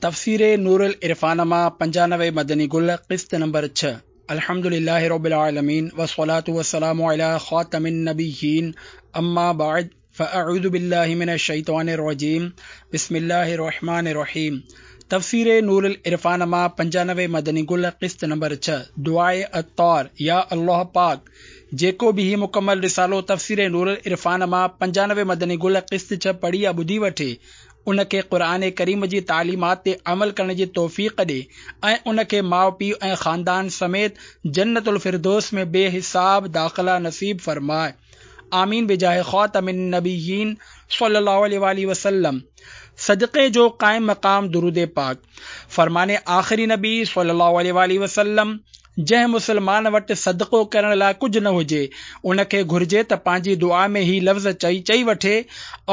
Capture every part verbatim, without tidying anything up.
تفسير نور العرفان مان پنجانوي مدني گل قسط نمبر ڇهه. الحمد لله رب العالمين والصلاة والسلام على خاتم النبيين اما بعد فاعوذ بالله من الشيطان الرجيم بسم الله الرحمن الرحيم. تفسير نور العرفان مان پنجانوي مدني گل قسط نمبر ڇهه. دعاء عطار. يا الله پاڪ، جيڪو به هي مڪمل رسالو تفسير نور العرفان مان پنجانوي مدني گل قسط ڇهه پڙهي يا ٻڌي وٺي، ان کي قرآن ڪريم جي تعليمات تي عمل ڪرڻ جي توفيق ڏي ۽ ان کي ماء پيء ۽ خاندان سميت جنت الفردوس ۾ بي حساب داخلا نصيب فرمائي. آمين بجاه خاتم النبيين صلي الله عليه وآله وسلم. صدقي جو قائم مقام درود پاڪ. فرمان آخري نبي صلي الله عليه وآله وسلم، جنهن مسلمان وٽ صدقو ڪرڻ لاء ڪجهه نه هجي، ان کي گهرجي ته پنهنجي دعا ۾ هي لفظ چئي چئي وٺي،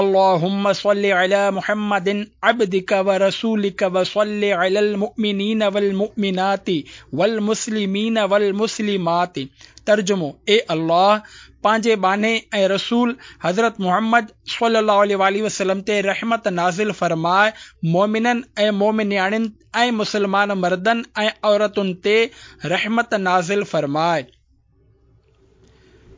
اللهم صل علي محمد عبدك ورسولك وصل علي المؤمنين والمؤمنات والمسلمين والمسلمات. ترجمو: اي الله، پنهنجي ٻانهي ۽ رسول حضرت محمد صلي الله عليه وآله وسلم تي رحمت نازل فرماء، مؤمنن ۽ مؤمنياڻين ۽ مسلمان مردن ۽ عورتن تي رحمت نازل فرماء.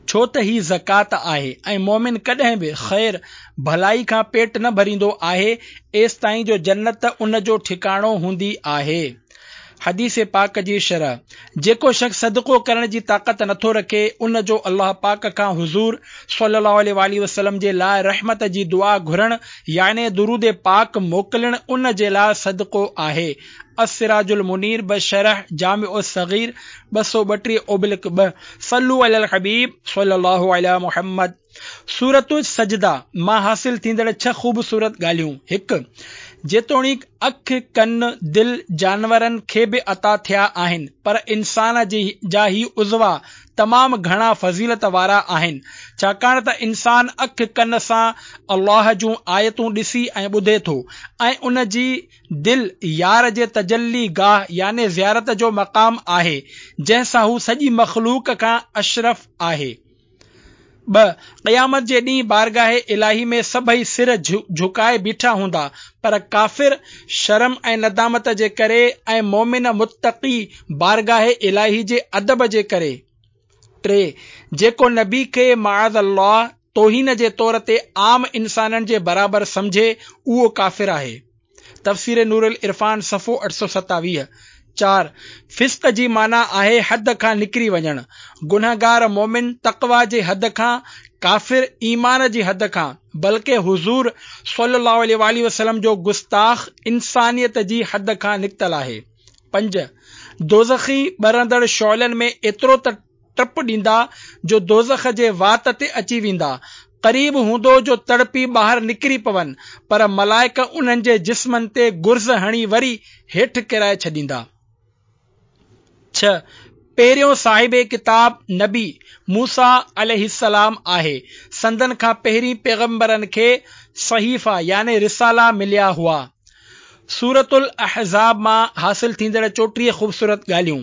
ڇو ته هي زڪوات آهي ۽ مؤمن ڪڏهن به خير ڀلائي کان پيٽ نه ڀريندو آهي ايستائين جو جنت ان جو ٺڪاڻو هوندي آهي. حديث پاڪ جي شرح: جيڪو شخص صدقو ڪرڻ جي طاقت نٿو رکي، ان جو الله پاڪ کان حضور صلي الله عليه وآله وسلم جي لاء رحمت جي دعا گهرڻ يعني درود پاڪ موڪلڻ ان جي لاء صدقو آهي. السراج المنير بشرح جامع الصغير ٻه سؤ ٻٽيهه اوبلڪ ٻه. صلو علي الحبيب صلي الله علي محمد. سورة السجده مان حاصل ٿيندڙ ڇهه خوبصورت ڳالهيون. هڪ. جيتوڻيڪ اک، ڪن، دل جانورن کي به عطا ٿيا آهن، پر انسان جا هي عضوا تمام گهڻا فضيلت وارا آهن، ڇاڪاڻ ته انسان اک ڪن سان الله جون آيتون ڏسي ۽ ٻڌي ٿو ۽ ان جي دل يار جي تجلي گاهه يعني زيارت جو مقام آهي، جنهن سان هو سڄي مخلوق کان اشرف آهي. ٻه. قيامت جي ڏينهن بارگاهه الاهي ۾ سڀئي سر جهڪائي بيٺا هوندا، پر ڪافر شرم ۽ ندامت جي ڪري ۽ مؤمن متقي بارگاهه الاهي جي ادب جي ڪري. ٽي. جيڪو نبي کي معاذ الله توهين جي طور تي عام انسانن جي برابر سمجهي، اهو ڪافر آهي. تفسير نور العرفان صفحو اٺ سؤ ستاويهه. چار. فسق جي معنيٰ آهي حد کان نڪري وڃڻ. گنهگار مؤمن تقويٰ جي حد کان، ڪافر ايمان جي حد کان، بلڪه حضور صلي الله عليه وآله وسلم جو گستاخ انسانيت جي حد کان نڪتل آهي. پنج. دوزخي ٻرندڙ شعلن ۾ ايترو ته ٽپ ڏيندا جو دوزخ جي وات تي اچي ويندا. قريب هوندو جو تڙپي ٻاهر نڪري پون، پر ملائڪ انهن جي جسمن تي گرز هڻي وري هيٺ ڪيرائي ڇڏيندا. ڇهه. پهريون صاحب ڪتاب نبي موسيٰ عليه السلام آهي. سندن کان پهرين پيغمبرن کي صحيفا يعني رسالا مليا هئا. سورة الاحزاب مان حاصل ٿيندڙ چوٽيهه خوبصورت ڳالهيون.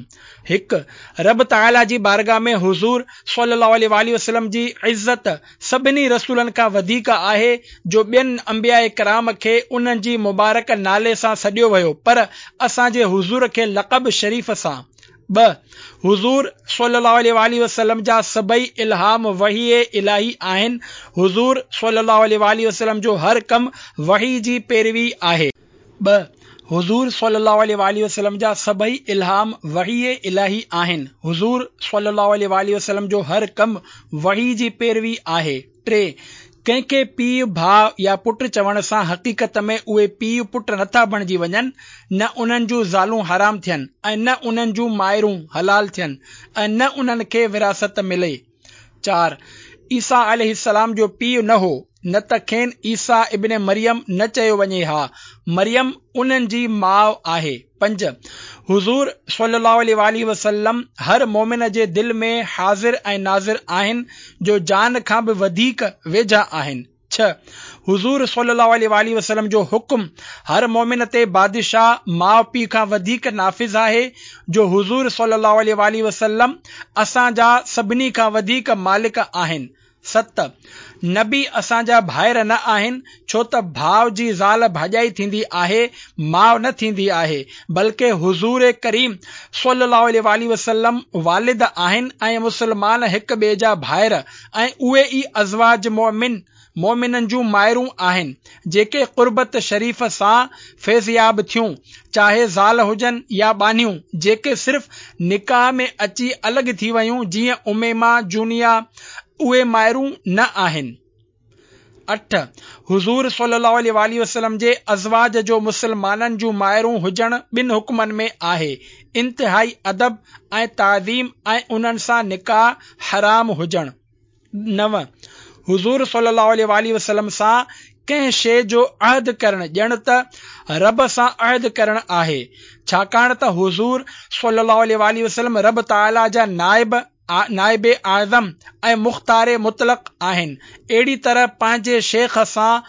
هڪ. رب تعاليٰ جي بارگاهه ۾ حضور صلي الله عليه وآله وسلم جي عزت سڀني رسولن کان وڌيڪ آهي، جو ٻين انبياء ڪرام کي انهن جي مبارڪ نالي سان سڏيو ويو، پر اسان جي حضور کي لقب شريف سان. ٻه. حضور صلي الله عليه وآله وسلم جا سڀئي الهام وحي الاهي آهن. حضور صلي الله عليه وآله وسلم جو هر ڪم وحي جي پيروي آهي. ٻه. حضور صلي الله عليه وآله وسلم جا سڀئي الهام وحي الاهي آهن. حضور صلي الله عليه وآله وسلم جو هر ڪم وحي جي پيروي آهي. ٽي. ڪنهن کي پيء، ڀاء يا پٽ چوڻ سان حقيقت ۾ اهي پيء پٽ نٿا بڻجي وڃن، نه انهن جون زالون حرام ٿين ۽ نه انهن جون مائرون حلال ٿين ۽ نه انهن کي وراثت ملي. چار. عيسيٰ عليه السلام جو پيء نه هو، نه ته کين عيسيٰ ابن مريم نه چيو وڃي ها، مريم انهن جي ماء آهي. پنج. حضور صلي الله عليه وآله وسلم هر مؤمن جي دل ۾ حاضر ۽ ناظر آهن، جو جان کان به وڌيڪ ويجها آهن. ڇهه. حضور صلي الله عليه وآله وسلم جو حڪم هر مؤمن تي بادشاهه ماء پيء کان وڌيڪ نافذ آهي، جو حضور صلي الله عليه وآله وسلم اسان جا سڀني کان وڌيڪ مالڪ آهن. ست. نبي اسان جا ڀائر نه آهن، ڇو ته ڀاءُ جي زال ڀاڄائي ٿيندي آهي، ماءُ نه ٿيندي آهي، بلڪه حضور ڪريم صلي الله عليه وآله وسلم والد آهن ۽ مسلمان هڪ ٻئي جا ڀائر ۽ اهي ئي ازواج مؤمن مؤمنن جون مائرون آهن، جيڪي قربت شريف سان فيضياب ٿيون، چاهي زال هجن يا ٻانهيون، جيڪي صرف نڪاح ۾ اچي الڳ ٿي ويون، جيئن اميمه، جونيه، اهي مائرون نه آهن. اٺ، حضور صلي الله عليه وآله وسلم جي ازواج جو مسلمانن جون مائرون هجڻ ٻن حڪمن ۾ آهي، انتهائي ادب ۽ تعظيم ۽ انهن سان نڪاح حرام هجڻ. نو، حضور صلي الله عليه وآله وسلم سان ڪنهن شيء جو عهد ڪرڻ ڄڻ ته رب سان عهد ڪرڻ آهي، ڇاڪاڻ ته حضور صلي الله عليه وآله وسلم رب تعاليٰ جا نائب نائب اعظم ۽ مختار مطلق آهن. اهڙي طرح پنهنجي شيخ سان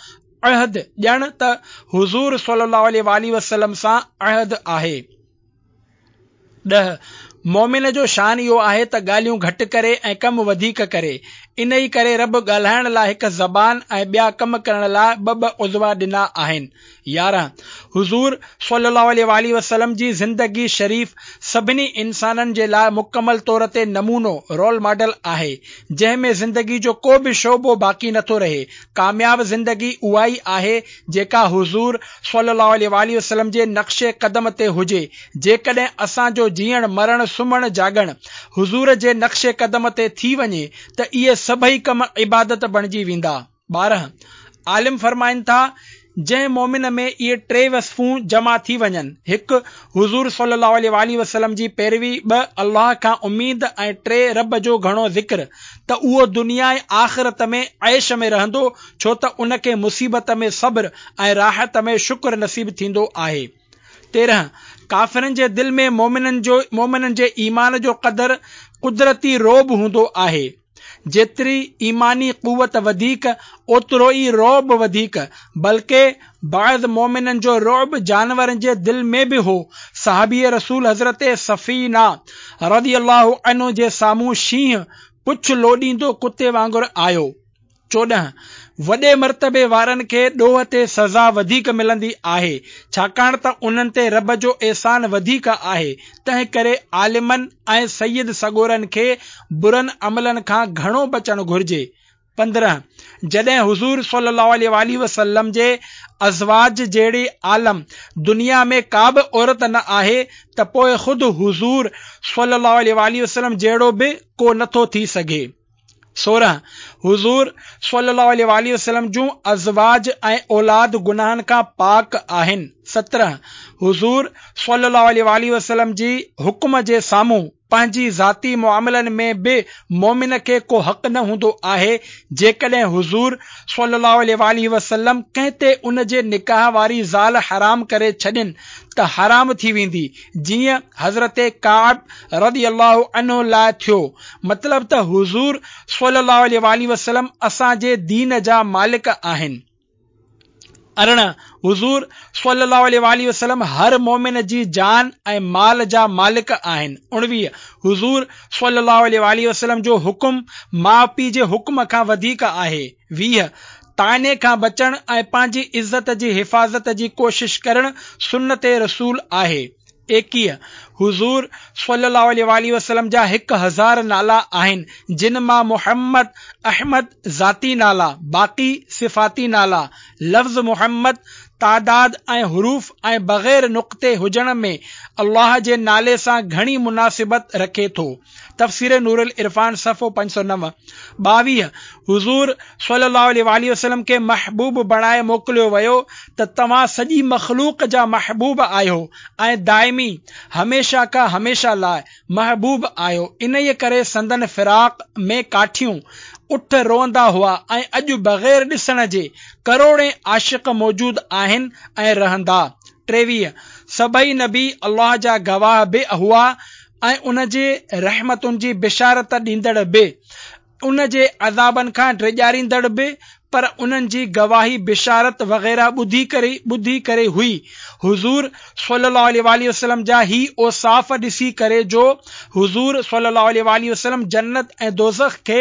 عهد ڄڻ ته حضور صلي الله عليه وآله وسلم سان عهد آهي. ڏهه، مؤمن جو شان اهو آهي ته ڳالهيون گهٽ ڪري ۽ ڪم وڌيڪ ڪري. انهي ڪري رب ڳالهائڻ لاء هڪ زبان ۽ ٻيا ڪم ڪرڻ لاء ٻه ٻه عضوا ڏنا آهن. يارهن، حضور صلي الله عليه وآله وسلم جي زندگي شريف سڀني انسانن جي لاء مڪمل طور تي نمونو، رول ماڊل، آهي، جنهن ۾ زندگي جو ڪو به شعبو باقي نٿو رهي. ڪامياب زندگي اها ئي آهي جيڪا حضور صلي الله عليه وآله وسلم جي نقش قدم تي هجي. جيڪڏهن اسان جو جيئڻ، مرڻ، سمهڻ، جاڳڻ حضور جي نقش قدم تي ٿي وڃي ته اهي سڀئي ڪم عبادت بڻجي ويندا. ٻارهن، عالم فرمائن ٿا، جنهن مؤمن ۾ اهي ٽي وصفون جمع ٿي وڃن، هڪ. حضور صلي الله عليه وآله وسلم جي پيروي، ٻه. الله کان اميد ۽ ٽي. رب جو گهڻو ذڪر، ته اهو دنيا ۽ آخرت ۾ عيش ۾ رهندو، ڇو ته ان کي مصيبت ۾ صبر ۽ راحت ۾ شڪر نصيب ٿيندو آهي. تيرهن، ڪافرن جي دل ۾ مؤمنن جو مؤمنن جي ايمان جو قدر قدرتي رعب هوندو آهي. جيتري ايماني قوت وڌيڪ، اوترو ئي رعب وڌيڪ، بلڪه بعض مؤمنن جو رعب جانورن جي دل ۾ به هو. صحابي رسول حضرت سفينه رضي الله عنه جي سامهون شينهن پڇ لوڏيندو ڪتي وانگر آيو. چوڏهن، وڏي مرتبي وارن کي ڏوهه تي سزا وڌيڪ ملندي آهي، ڇاڪاڻ ته انهن تي رب جو احسان وڌيڪ آهي، تنهن ڪري عالمن ۽ سيد سڳورن کي برن عملن کان گهڻو بچڻ گهرجي. پندرهن، جڏهن حضور صلي الله عليه وآله وسلم جي ازواج جهڙي عالم دنيا ۾ ڪا به عورت نه آهي ته پوء خود حضور صلي الله عليه وآله وسلم جهڙو به ڪو نٿو ٿي سگهي. سورهن، حضور صلي الله عليه وآله وسلم جون ازواج ۽ اولاد گناهن کان پاڪ آهن. سترهن، حضور صلي الله عليه وآله وسلم جي حڪم جي سامهون پنهنجي ذاتي معاملن ۾ به مؤمن کي ڪو حق نه هوندو آهي، جيڪڏهن حضور صلي الله عليه وآله وسلم ڪنهن تي ان جي نڪاح واري زال حرام ڪري ڇڏين ته حرام ٿي ويندي، جيئن حضرت ڪعب رضي الله عنه لاء ٿيو، مطلب ته حضور صلي الله عليه وآله وسلم اسان جي دين جا مالڪ آهن. ارڙهن، حضور صلي الله عليه وآله وسلم هر مؤمن جي جان ۽ مال جا مالڪ آهن. اڻويهه، حضور صلي الله عليه وآله وسلم جو حڪم ماء پيء جي حڪم کان وڌيڪ آهي. ويهه، طعني کان بچڻ ۽ پنهنجي عزت جي حفاظت جي ڪوشش ڪرڻ سنت رسول آهي. ايڪيهه، حضور صلي الله عليه وآله وسلم جا هڪ هزار نالا آهن، جن مان محمد، احمد ذاتي نالا، باقي صفاتي نالا. لفظ محمد تعداد ۽ حروف ۽ بغير نقطي هجڻ ۾ الله جي نالي سان گهڻي مناسبت رکي ٿو. تفسير نور العرفان صفحو پنج سؤ نو. ٻاويهه، حضور صلي الله عليه واٰله وسلم کي محبوب بڻائي موڪليو ويو ته توهان سڄي مخلوق جا محبوب آهيو ۽ دائمي، هميشه کان هميشه لاء، محبوب آهيو، انهيء ڪري سندن فراق ۾ ڪاٺيون، اٺ روئندا هئا ۽ اڄ بغير ڏسڻ جي ڪروڙين عاشق موجود آهن ۽ رهندا. ٽيويهه، سڀئي نبي الله جا گواهه به هئا ۽ ان جي رحمتن جي بشارت ڏيندڙ به، ان جي عذابن کان ڊيڄاريندڙ به، پر انهن جي گواهي بشارت وغيره ٻڌي ڪري ٻڌي ڪري هئي. حضور صلي الله عليه واٰله وسلم جا هي اوصاف ڏسي ڪري جو حضور صلي الله عليه واٰله وسلم جنت ۽ دوزخ کي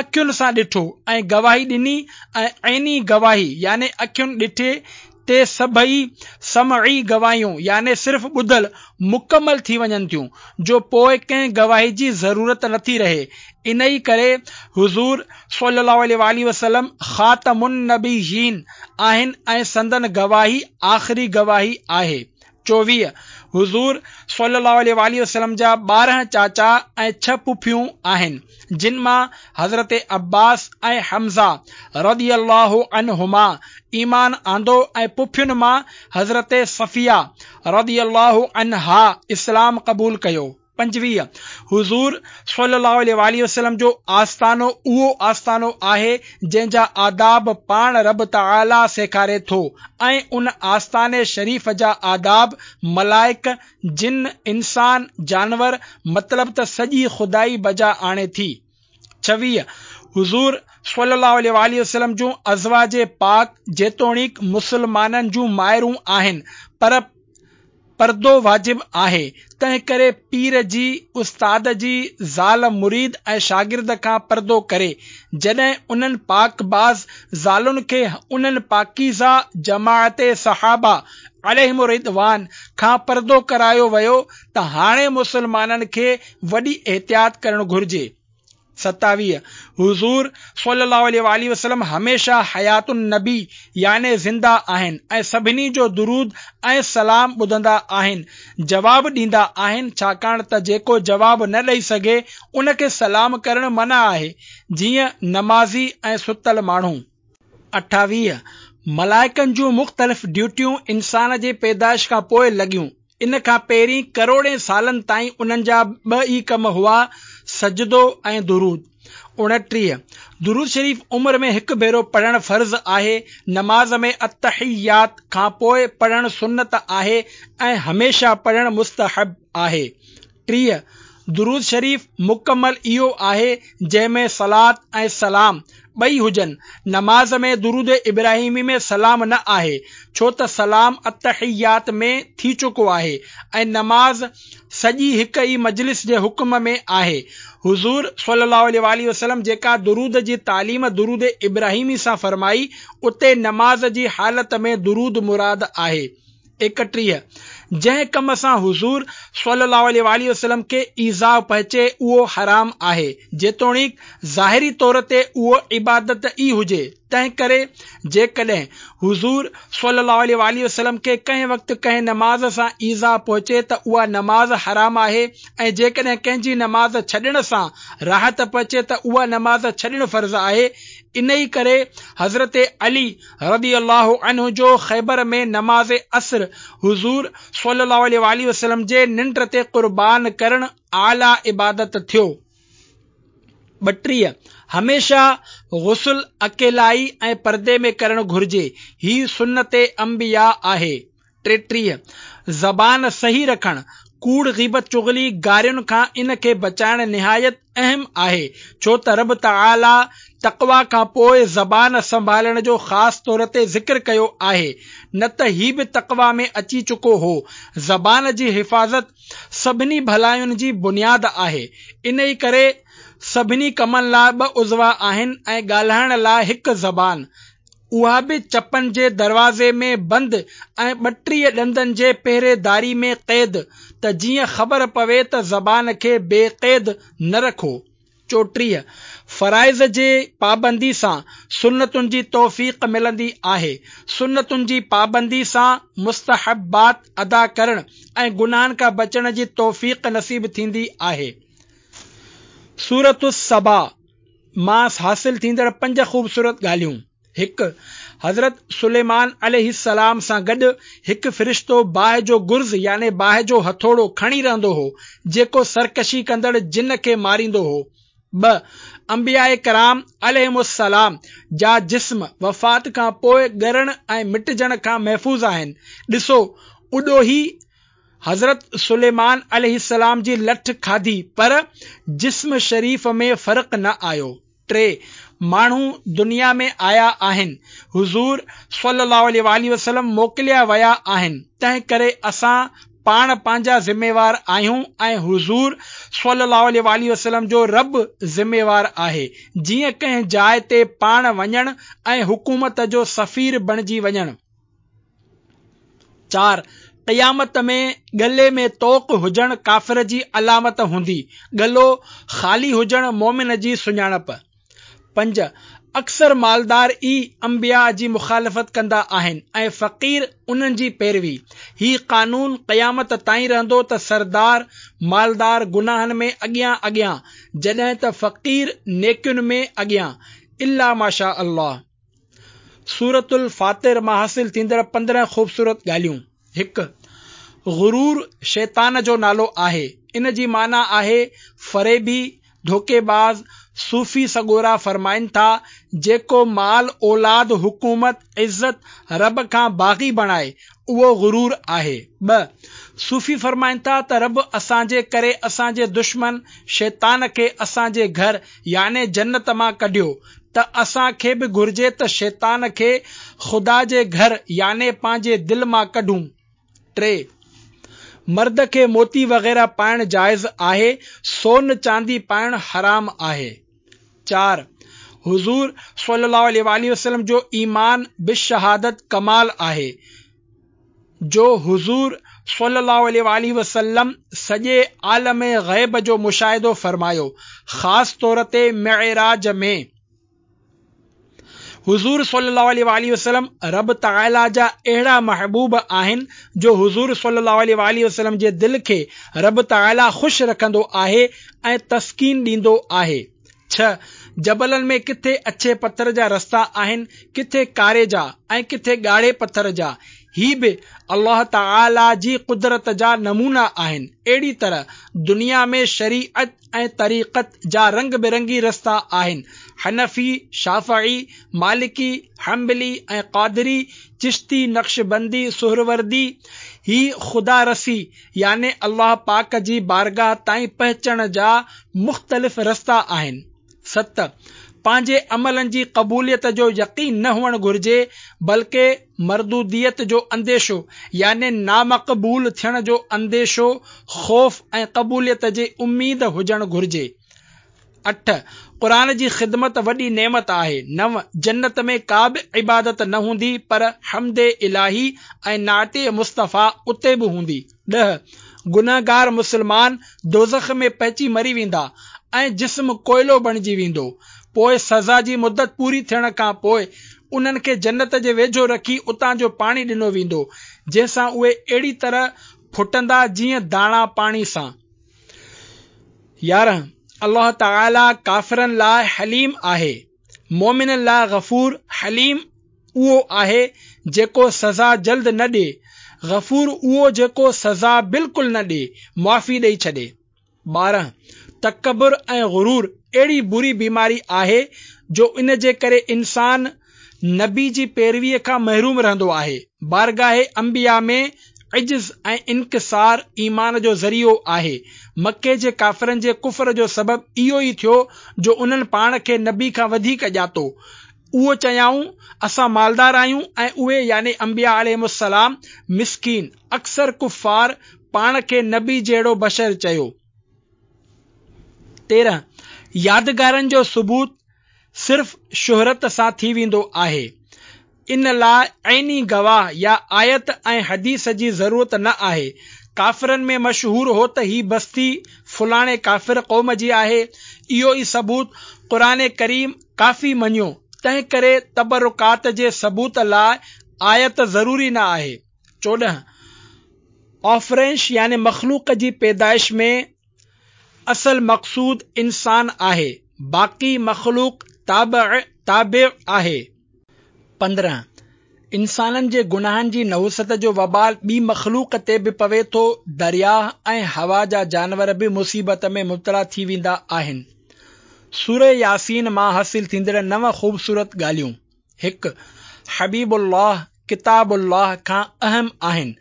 اکين سان ڏٺو ۽ گواهي ڏني ۽ عيني گواهي يعني اکين ڏٺي تي سڀئي سمعي گواهيون يعني صرف ٻڌل مڪمل ٿي وڃن ٿيون جو پوء ڪنهن گواهي جي ضرورت نٿي رهي. انهي ڪري حضور صلي الله عليه واٰله وسلم خاتم النبيين آهن ۽ سندن گواهي آخري گواهي آهي. چوويهه، حضور صلي الله عليه واٰله وسلم جا ٻارهن چاچا ۽ ڇهه پڦيون آهن، جن مان حضرت عباس ۽ حمزه رضي الله عنهما ايمان آندو ۽ پڦين مان حضرت صفيه رضي الله عنها اسلام قبول ڪيو. پنجويهه، حضور صلي الله عليه واٰله وسلم جو آستانو اهو آستانو آهي جنهن جا آداب پاڻ رب تعاليٰ سيکاري ٿو ۽ ان آستاني شريف جا آداب ملائڪ، جن، انسان، جانور مطلب ته سڄي خدائي بجا آڻي ٿي. ڇويهه، حضور صلي الله عليه واٰله وسلم جون ازواج پاڪ جيتوڻيڪ مسلمانن جون مائرون آهن پر پردو واجب آهي، تنهنڪري پير جي، استاد جي، زال مريد ۽ شاگرد کان پردو ڪري. جڏهن انهن پاڪباز زالن کي انهن پاڪيزه جماعت صحابه عليهم الرضوان کان پردو ڪرايو ويو ته هاڻي مسلمانن کي وڏي احتياط ڪرڻ گهرجي. ستاويهه، حضور صلي الله عليه واٰله وسلم هميشه حيات النبي يعني زنده آهن ۽ سڀني جو درود ۽ سلام ٻڌندا آهن، جواب ڏيندا آهن، ڇاڪاڻ ته جيڪو جواب نه ڏئي سگهي ان کي سلام ڪرڻ منع آهي، جيئن نمازي ۽ ستل ماڻهو. اٺاويهه، ملائڪن جون مختلف ڊيوٽيون انسان جي پيدائش کان پوء لڳيون. ان کان پهرين ڪروڙين سالن تائين انهن جا ٻه ئي ڪم هئا، سجدو ۽ درود. اڻٽيهه، درود شريف عمر ۾ هڪ ڀيرو پڙهڻ فرض آهي، نماز ۾ التحيات کان پوء پڙهڻ سنت آهي ۽ هميشه پڙهڻ مستحب آهي. ٽيهه، درود شريف مڪمل اهو آهي جنهن ۾ صلوة ۽ سلام ٻئي هجن. نماز ۾ درود ابراهيمي ۾ سلام نه آهي، ڇو ته سلام التحيات ۾ ٿي چڪو آهي ۽ نماز سڄي هڪ ئي مجلس جي حڪم ۾ آهي. حضور صلي الله عليه واٰله وسلم جيڪا درود جي تعليم درود ابراهيمي سان فرمائي، اتي نماز جي حالت ۾ درود مراد آهي. ايڪٽيهه، جنهن ڪم سان حضور صلي الله عليه واٰله وسلم کي ايذاء پهچي اهو حرام آهي، جيتوڻيڪ ظاهري طور تي اهو عبادت ئي هجي، تنهنڪري جيڪڏهن حضور صلي الله عليه واٰله وسلم کي ڪنهن وقت ڪنهن نماز سان ايذاء پهچي ته اها نماز حرام آهي ۽ جيڪڏهن ڪنهن جي نماز ڇڏڻ سان راحت پهچي ته اها نماز ڇڏڻ فرض آهي، انهي ڪري حضرت علي رضي الله عنه جو خيبر ۾ نماز عصر حضور صلي الله عليه واٰله وسلم جي ننڊ تي قربان ڪرڻ اعليٰ عبادت ٿيو. ٻٽيهه، هميشه غسل اڪيلائي ۽ پردي ۾ ڪرڻ گهرجي، هي سنت انبياء آهي. ٽيٽيهه، زبان صحيح رکڻ، ڪوڙ، غيبت، چغلي، گارين کان ان کي بچائڻ نهايت اهم آهي، ڇو ته رب تعاليٰ تقويٰ کان پوء زبان سنڀالڻ جو خاص طور تي ذڪر ڪيو آهي، نه ته هي به تقويٰ ۾ اچي چڪو هو. زبان جي حفاظت سڀني ڀلاين جي بنياد آهي، انهي ڪري سڀني ڪمن لاء ٻه عضوا آهن ۽ ڳالهائڻ لاء هڪ زبان. اها به چپن جي دروازي ۾ بند ۽ ٻٽيهه ڏندن جي پهريداري ۾ قيد، ته جيئن خبر پوي ته زبان کي بي قيد نه رکو. چوٽيهه، فرائض جي پابندي سان سنتن جي توفيق ملندي آهي. سنتن جي پابندي سان مستحبات ادا ڪرڻ ۽ گناهن کان بچڻ جي توفيق نصيب ٿيندي آهي. سورة السبا مان حاصل ٿيندڙ پنج خوبصورت ڳالهيون. هڪ، حضرت سليمان عليه السلام سان گڏ هڪ فرشتو باهه جو گرز يعني باهه جو هٿوڙو کڻي رهندو هو، جيڪو سرڪشي ڪندڙ جن کي ماريندو هو. ٻه، انبياء ڪرام عليهم السلام جا جسم وفات کان پوء ڳرڻ ۽ مٽجڻ کان محفوظ آهن. ڏسو، اڏوهي حضرت سليمان عليه السلام جي لٺ کاڌي پر جسم شريف ۾ فرق نه آيو. ٽي، ماڻهو دنيا ۾ آيا آهن، حضور صلي الله عليه واٰله وسلم موڪليا ويا آهن، تنهن ڪري اسان پاڻ پنهنجا ذميوار آهيون ۽ حضور صلي الله عليه واٰله وسلم جو رب ذميوار آهي، جيئن ڪنهن جاء تي پاڻ وڃڻ ۽ حڪومت جو سفير بڻجي وڃڻ. چار، قيامت ۾ ڳلي ۾ طوق هجڻ ڪافر جي علامت هوندي، ڳلو خالي هجڻ مؤمن جي سڃاڻپ. پنج، اڪثر مالدار ئي انبياء جي مخالفت ڪندا آهن ۽ فقير انهن جي پيروي. هي قانون قيامت تائين رهندو ته سردار، مالدار گناهن ۾ اڳيان اڳيان، جڏهن ته فقير نيڪين ۾ اڳيان. الا ماشاء الله. سورة الفاطر مان حاصل ٿيندڙ پندرهن خوبصورت ڳالهيون. هڪ. غرور شيطان جو نالو آهي. ان جي معنيٰ آهي فريبي، ڌوڪيباز. صوفي سڳورا فرمائن ٿا، جيڪو مال، اولاد، حڪومت، عزت رب کان باغي بڻائي، اهو غرور آهي. ٻه. صوفي فرمائن ٿا ته رب اسان جي ڪري اسان جي دشمن شيطان کي اسان جي گهر يعني جنت مان ڪڍيو ته اسان کي به گهرجي ته شيطان کي خدا جي گهر يعني پنهنجي دل مان ڪڍون. ٽي. مرد کي موتي وغيره پائڻ جائز آهي، سون چاندي پائڻ حرام آهي. چار. حضور صلي الله عليه واٰله وسلم جو ايمان بالشهادت ڪمال آهي، جو حضور صلي الله عليه واٰله وسلم سڄي عالم غيب جو مشاهدو فرمايو، خاص طور تي معراج ۾. حضور صلي الله عليه واٰله وسلم رب تعاليٰ جا اهڙا محبوب آهن جو حضور صلي الله عليه واٰله وسلم جي دل کي رب تعاليٰ خوش رکندو آهي ۽ تسڪين ڏيندو آهي. ڇهه، جبلن ۾ ڪٿي اڇي پٿر جا رستا آهن، ڪٿي ڪاري جا ۽ ڪٿي ڳاڙهي پٿر جا. هي به الله تعاليٰ جي قدرت جا نمونا آهن. اهڙي طرح دنيا ۾ شريعت ۽ طريقت جا رنگ برنگي رستا آهن. حنفي، شافعي، مالڪي، حنبلي ۽ قادري، چشتي، نقشبندي، سهروردي، هي خدا رسي يعني الله پاڪ جي بارگاهه تائين پهچڻ جا مختلف رستا آهن. ست، پنهنجي عملن جي قبوليت جو يقين نه هئڻ گهرجي بلڪه مردوديت جو انديشو يعني نامقبول ٿيڻ جو انديشو، خوف ۽ قبوليت جي اميد هجڻ گهرجي. اٺ، قرآن جي خدمت وڏي نعمت آهي. نو، جنت ۾ ڪا به عبادت نه هوندي پر حمد الاهي ۽ نعت مصطفيٰ اتي به هوندي. ڏهه، گنهگار مسلمان دوزخ ۾ پهچي مري ويندا ۽ جسم ڪوئلو بڻجي ويندو. پوء سزا جي مدت پوري ٿيڻ کان پوء انهن کي جنت جي ويجهو رکي اتان جو پاڻي ڏنو ويندو، جنهن سان اهي اهڙي طرح ڦٽندا جيئن داڻا پاڻي سان. يارهن، الله تعاليٰ ڪافرن لاء حليم آهي، مؤمنن لاء غفور. حليم اهو آهي جيڪو سزا جلد نه ڏئي، غفور اهو جيڪو سزا بلڪل نه ڏئي، معافي ڏئي ڇڏي. ٻارهن، تڪبر ۽ غرور اهڙي بري بيماري آهي جو ان جي ڪري انسان نبي جي پيرويء کان محروم رهندو آهي. بارگاهه انبياء ۾ عجز ۽ انڪسار ايمان جو ذريعو آهي. مڪي جي ڪافرن جي ڪفر جو سبب اهو ئي ٿيو جو انهن پاڻ کي نبي کان وڌيڪ ڄاتو. اهو چيائون، اسان مالدار آهيون ۽ اهي يعني انبياء عليهم السلام مسڪين. اڪثر ڪفار پاڻ کي نبي جهڙو بشر چيو. تيرهن، يادگارن جو ثبوت صرف شهرت سان ٿي ويندو آهي. ان لاء عيني گواهه يا آيت ۽ حديث جي ضرورت نه آهي. ڪافرن ۾ مشهور هو ته هي بستي فلاڻي ڪافر قوم جي آهي. اهو ئي ثبوت قرآن ڪريم ڪافي مڃيو، تنهنڪري تبرڪات جي ثبوت لاء آيت ضروري نه آهي. چوڏهن، آفرينش يعني مخلوق جي پيدائش ۾ اصل مقصود انسان آهي، باقي مخلوق تابع تابع آهي. پندرهن، انسانن جي گناهن جي نحوست جو وبال ٻي مخلوق تي به پوي ٿو، درياهه ۽ هوا جا جانور به مصيبت ۾ مبتلا ٿي ويندا آهن. سوره ياسين مان حاصل ٿيندڙ نو خوبصورت ڳالهيون. هڪ. حبيب الله ڪتاب الله کان اهم آهن،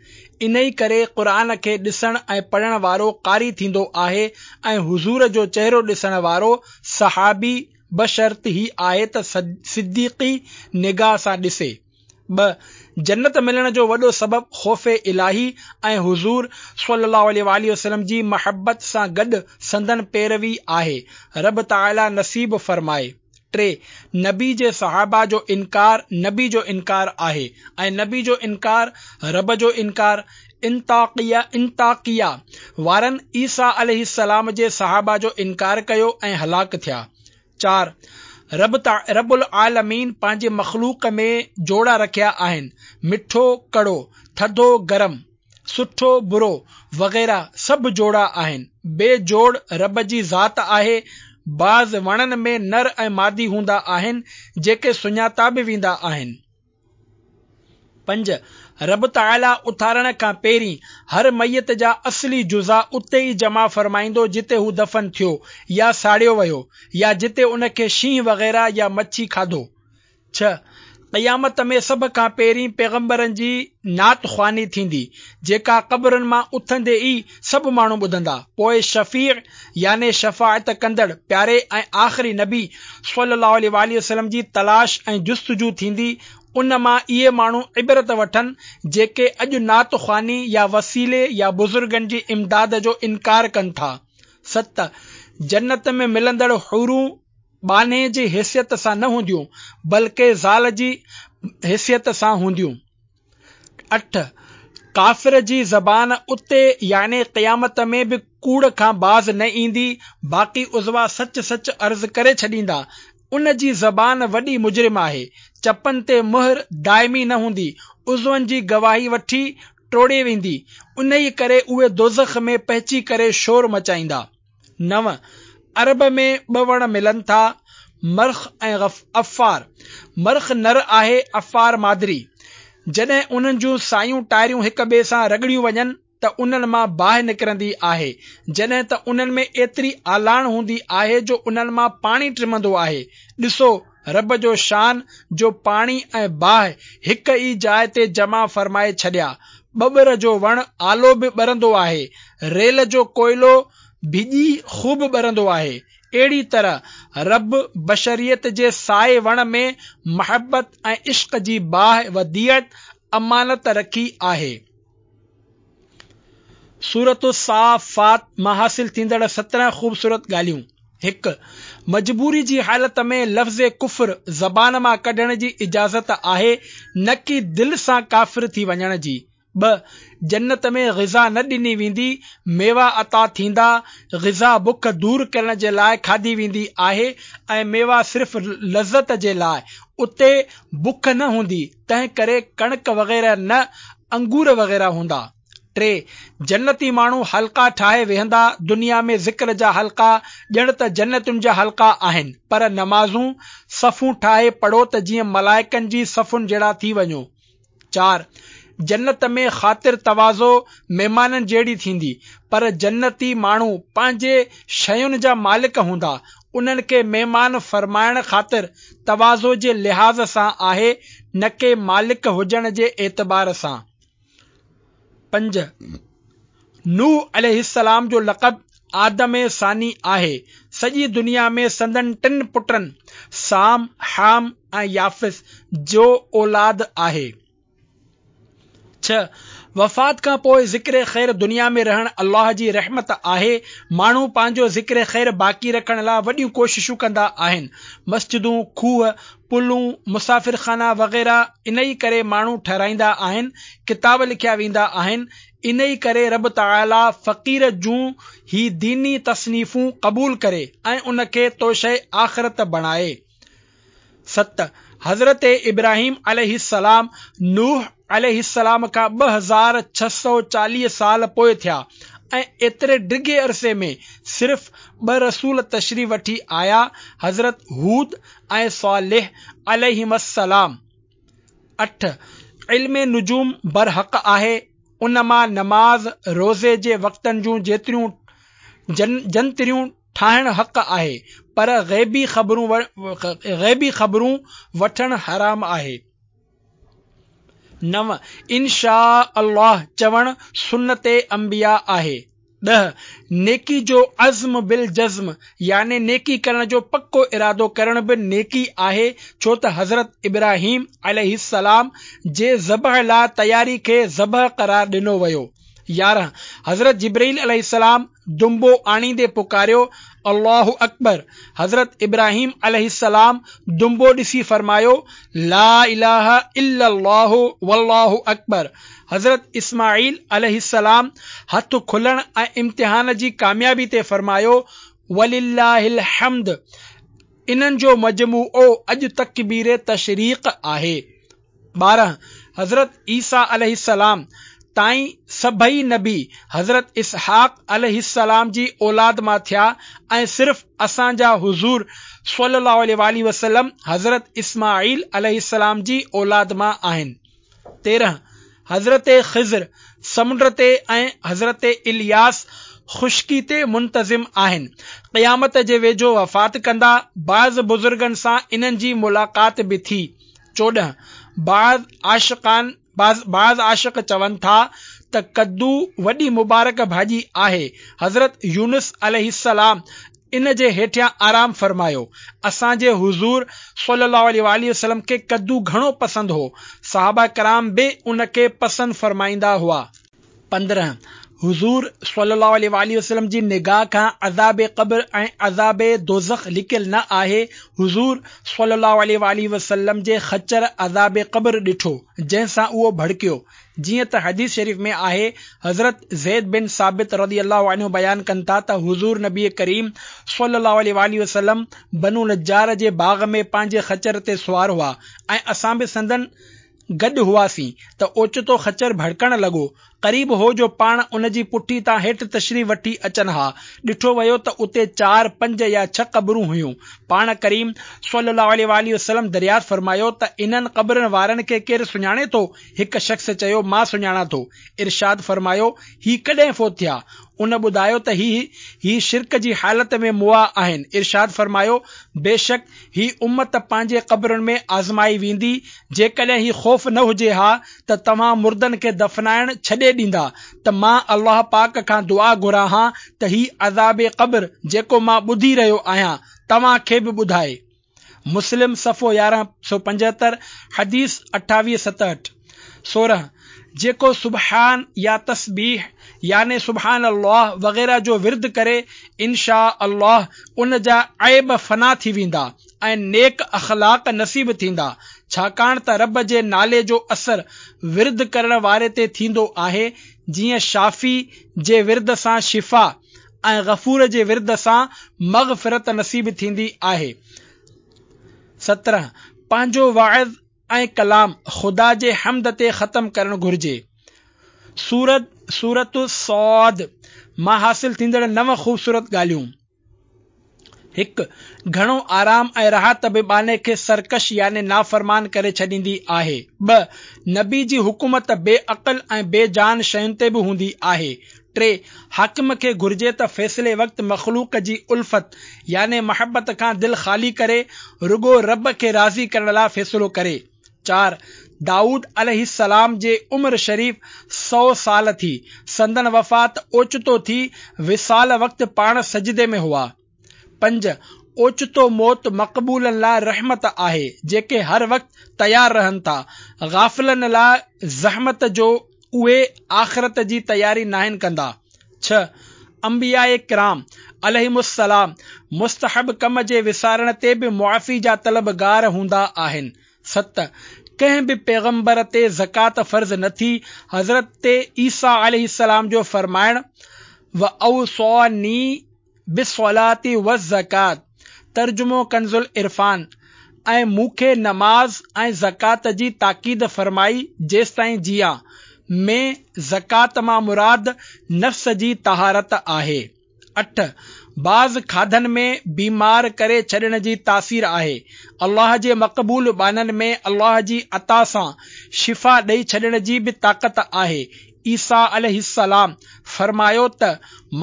انهي ڪري قرآن کي ڏسڻ ۽ پڙهڻ وارو قاري ٿيندو آهي ۽ حضور جو چهرو ڏسڻ وارو صحابي بشرط هي آهي ته صديقي نگاهه سان ڏسي. ٻه. جنت ملڻ جو وڏو سبب خوف الاهي ۽ حضور صلي الله عليه وآله وسلم جي محبت سان گڏ سندن پيروي آهي. رب تعاليٰ نصيب فرمائي. ٽي. نبي جي صحابه جو انڪار نبي جو انڪار آهي ۽ نبي جو انڪار رب جو انڪار. انطاڪيه انطاڪيه وارن عيسيٰ عليه السلام جي صحابه جو انڪار ڪيو ۽ هلاڪ ٿيا. چار. رب رب العالمين پنهنجي مخلوق ۾ جوڙا رکيا آهن، مٺو ڪڙو، ٿڌو گرم، سٺو برو وغيره سڀ جوڙا آهن. بي جوڙ رب جي ذات آهي. بعض وڻن ۾ نر ۽ مادي هوندا آهن، جيڪي سڃاتا به ويندا آهن. پنج. رب تعاليٰ اٿارڻ کان پهرين هر ميت جا اصلي جزا اتي ئي جمع فرمائيندو جتي هو دفن ٿيو يا ساڙيو ويو يا جتي ان کي شينهن وغيره يا مڇي کاڌو. ڇهه. قيامت ۾ سڀ کان پهرين پيغمبرن جي نعت خواني ٿيندي، جيڪا قبرن مان اٿندي ئي سڀ ماڻهو ٻڌندا. پوء شفيع يعني شفاعت ڪندڙ پياري ۽ آخري نبي صلي الله عليه وآله وسلم جي تلاش ۽ جستجو ٿيندي. ان مان اهي ماڻهو عبرت وٺن جيڪي اڄ نعت خواني يا وسيلي يا بزرگن جي امداد جو انڪار ڪن ٿا. ست. جنت ۾ ملندڙ حورون ٻانهي جي حيثيت سان نه هونديون، بلڪه زال جي حيثيت سان هونديون. اٺ. ڪافر جي زبان اتي يعني قيامت ۾ به ڪوڙ کان باز نه ايندي، باقي عضوا سچ سچ عرض ڪري ڇڏيندا. ان جي زبان وڏي مجرم آهي، چپن تي مهر دائمي نه هوندي، عضون جي گواهي وٺي ٽوڙي ويندي، انهيء ڪري اهي دوزخ ۾ پهچي ڪري شور مچائيندا. نو. عرب ۾ ٻه وڻ ملن ٿا، مرخ ۽ عفار. مرخ نر آهي، عفار مادري. جڏهن انهن جون سايون ٽاريون هڪ ٻئي سان رڳڙيون وڃن ته انهن مان باهه نڪرندي آهي، جڏهن ته انهن ۾ ايتري آلاڻ هوندي آهي جو انهن مان پاڻي ٽمندو آهي. ڏسو رب جو شان جو پاڻي ۽ باهه هڪ ئي جاء تي جمع فرمائي ڇڏيا. ٻٻر جو وڻ آلو به ٻرندو آهي، ريل جو ڪوئلو ڀڄي خوب ٻرندو آهي. اهڙي طرح رب بشريت جي سائي وڻ ۾ محبت ۽ عشق جي باهه وديعت امانت رکي آهي. سورة الصافات مان حاصل ٿيندڙ سترهن خوبصورت ڳالهيون. هڪ. مجبوري جي حالت ۾ لفظ ڪفر زبان مان ڪڍڻ جي اجازت آهي، نه ڪي دل سان ڪافر ٿي وڃڻ جي. ٻه. جنت ۾ غذا نه ڏني ويندي، ميوا عطا ٿيندا. غذا بک دور ڪرڻ جي لاء کاڌي ويندي آهي ۽ ميوا صرف لذت جي لاء. اتي بک نه هوندي، تنهن ڪري ڪڻڪ وغيره نه انگور وغيره هوندا. ٽي. جنتي ماڻهو حلقا ٺاهي ويهندا. دنيا ۾ ذڪر جا حلقا ڄڻ ته جنتين جا حلقا آهن، پر نمازون صفون ٺاهي پڙهو ته جيئن ملائڪن جي صفن جهڙا ٿي وڃو. چار. جنت ۾ خاطر تواضع مهمانن جهڙي ٿيندي، پر جنتي ماڻهو پنهنجي شين جا مالڪ هوندا، انهن کي مهمان فرمائڻ خاطر تواضع جي لحاظ سان آهي، نه ڪي مالڪ هجڻ جي اعتبار سان. پنج. نوح عليه السلام جو لقب آدم ثاني آهي. سڄي دنيا ۾ سندن ٽن پٽن سام، حام ۽ يافث جو اولاد آهي. ڇهه. وفات کان پوء ذڪر خير دنيا ۾ رهڻ الله جي رحمت آهي. ماڻهو پنهنجو ذڪر خير باقي رکڻ لاء وڏيون ڪوششون ڪندا آهن. مسجدون، کوهه، پلون، مسافرخانا وغيره انهي ڪري ماڻهو ٺهرائيندا آهن، ڪتاب لکيا ويندا آهن، انهي ڪري رب تعاليٰ فقير جون هي ديني تصنيفون قبول ڪري ۽ ان کي توشه آخرت بڻائي. ست. حضرت ابراهيم عليه السلام نوح عليه السلام کان ٻه هزار ڇهه سؤ چاليهه سال پوء ٿيا ۽ ايتري ڊگهي عرصي ۾ صرف ٻه رسول تشريف وٺي آيا، حضرت هود ۽ صالح عليهما السلام. اٺ. علم نجوم برحق آهي، ان مان نماز، روزي جي وقتن جون جيتريون جنتريون ٺاهڻ حق آهي، پر غيبي خبرون غيبي خبرون وٺڻ حرام آهي. نو. ان شاء الله چوڻ سنت انبياء آهي. ڏهه. نيڪي جو عزم بالجزم يعني نيڪي ڪرڻ جو پڪو ارادو ڪرڻ به نيڪي آهي، ڇو ته حضرت ابراهيم عليه السلام جي ذبح لاء تياري کي ذبح قرار ڏنو ويو. يارهن، حضرت جبرائيل عليه السلام دنبو آڻيندي پڪاريو، الله اڪبر. حضرت ابراهيم عليه السلام دنبو ڏسي فرمايو، لا اله الا الله والله اڪبر. حضرت اسماعيل عليه السلام هٿ کلڻ ۽ امتحان جي ڪاميابي تي فرمايو، ولله الحمد. انهن جو مجموعو اڄ تڪبير تشريق آهي. ٻارهن، حضرت عيسيٰ عليه السلام تائين سڀئي نبي حضرت اسحاق عليه السلام جي اولاد مان ٿيا ۽ صرف اسان جا حضور صلي الله عليه واٰله وسلم حضرت اسماعيل عليه السلام جي اولاد مان آهن. تيرهن، حضرت خضر سمنڊ تي ۽ حضرت الياس خشڪي تي منتظم آهن. قيامت جي ويجهو وفات ڪندا. بعض بزرگن سان انهن جي ملاقات به ٿي. چوڏهن، بعض عاشقان بعض عاشق چون ٿا ته ڪدو وڏي مبارڪ ڀاڄي آهي. حضرت يونس عليه السلام ان جي هيٺيان آرام فرمايو. اسان جي حضور صلي الله عليه واٰله وسلم کي ڪدو گهڻو پسند هو. صحابه ڪرام به ان کي پسند فرمائيندا هئا. پندرهن، حضور صلي الله عليه واٰله وسلم جي نگاهه کان عذاب قبر ۽ عذاب دوزخ لڪيل نه آهي. حضور صلي الله عليه واٰله وسلم جي خچر عذاب قبر ڏٺو، جنهن سان اهو ڀڙڪيو. جيئن ته حديث شريف ۾ آهي، حضرت زيد بن ثابت رضي الله عنه بيان ڪن ٿا ته حضور نبي ڪريم صلي الله عليه واٰله وسلم بنو نجار جي باغ ۾ پنهنجي خچر تي سوار هئا ۽ اسان به سندن گڏ هئاسين ته اوچتو خچر ڀڙڪڻ لڳو. قريب هو جو پاڻ ان جي پٺي تان هيٺ تشريف وٺي اچن ها. ڏٺو ويو ته اتي چار، پنج يا ڇهه قبرون هيون. پاڻ ڪريم صلي الله عليه واٰله وسلم دريافت فرمايو ته انهن قبرن وارن کي ڪير سڃاڻي ٿو؟ هڪ شخص چيو، مان سڃاڻان ٿو. ارشاد فرمايو، هي ڪڏهن فوت ٿيا؟ ان ٻڌايو ته هي هي شرڪ جي حالت ۾ مئا آهن. ارشاد فرمايو، بيشڪ هي امت پنهنجي قبرن ۾ آزمائي ويندي، جيڪڏهن هي خوف نه هجي ها ته توهان مردن کي دفنائڻ ڇڏي ڏيندا ته مان الله پاڪ کان دعا گهران ها ته هي عذاب قبر جيڪو مان ٻڌي رهيو آهيان توهان کي به ٻڌائي. مسلم صفحو يارهن سؤ پنجهتر، حديث اٺاويهه ستهٺ. سورهن، جيڪو سبحان يا تسبيح يعني سبحان الله وغيره جو ورد ڪري ان شاء الله ان جا عيب فنا ٿي ويندا ۽ نيڪ اخلاق نصيب ٿيندا، ڇاڪاڻ ته رب جي نالي جو اثر ورد ڪرڻ واري تي ٿيندو آهي، جيئن شافي جي ورد سان شفا ۽ غفور جي ورد سان مغفرت نصيب ٿيندي آهي. سترهن، پنهنجو وعظ ۽ ڪلام خدا جي حمد تي ختم ڪرڻ گهرجي. سورت سورة صاد مان حاصل ٿيندڙ نو خوبصورت ڳالهيون. هڪ، گهڻو آرام ۽ راحت به ٻانهي کي سرڪش يعني نافرمان ڪري ڇڏيندي آهي. ٻه، نبي جي حڪومت بي عقل ۽ بي جان شين تي به هوندي آهي. ٽي، حاڪم کي گهرجي ته فيصلي وقت مخلوق جي الفت يعني محبت کان دل خالي ڪري رڳو رب کي راضي ڪرڻ لاء فيصلو ڪري. چار، دائود عليه السلام جي عمر شريف سؤ سال ٿي. سندن وفات اوچتو ٿي، وصال وقت پاڻ سجدي ۾ هئا. پنج، اوچتو موت مقبولن لاء رحمت آهي، جيڪي هر وقت تيار رهن ٿا. غافلن لاء زحمت جو اهي آخرت جي تياري ناهن ڪندا. ڇهه، انبياء ڪرام عليهم السلام مستحب ڪم جي وسارڻ تي به معافي جا طلبگار هوندا آهن. ست، ڪنهن به پيغمبر تي زڪوات فرض نه ٿي. حضرت عيسيٰ عليه السلام جو فرمائڻ، واوصاني بالصلوة والزڪوة، ترجمو ڪنزالعرفان، ۽ مون کي نماز ۽ زڪوات جي تاڪيد فرمائي جيستائين جيئان، ۾ زڪوات مان مراد نفس جي طهارت آهي. اٺ، بعض کاڌن ۾ بيمار ڪري ڇڏڻ جي تاثير آهي. الله جي مقبول ٻانهن ۾ الله جي عطا سان شفا ڏئي ڇڏڻ جي به طاقت آهي. عيسيٰ عليه السلام فرمايو ته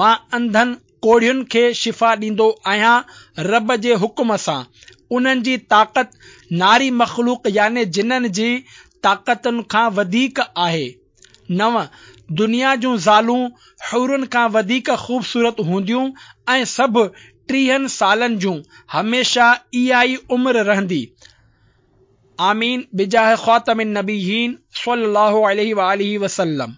مان انڌن ڪوڙهين کي شفا ڏيندو آهيان رب جي حڪم سان. انهن جي طاقت ناري مخلوق يعني جنن جي طاقتن کان وڌيڪ آهي. نو، دنيا جون زالون حورن کان وڌيڪ خوبصورت هونديون ۽ سڀ ٽيهن سالن جون، هميشه اها ئي عمر رهندي. آمين بجاه خاتم النبيين صلي الله عليه واله وسلم.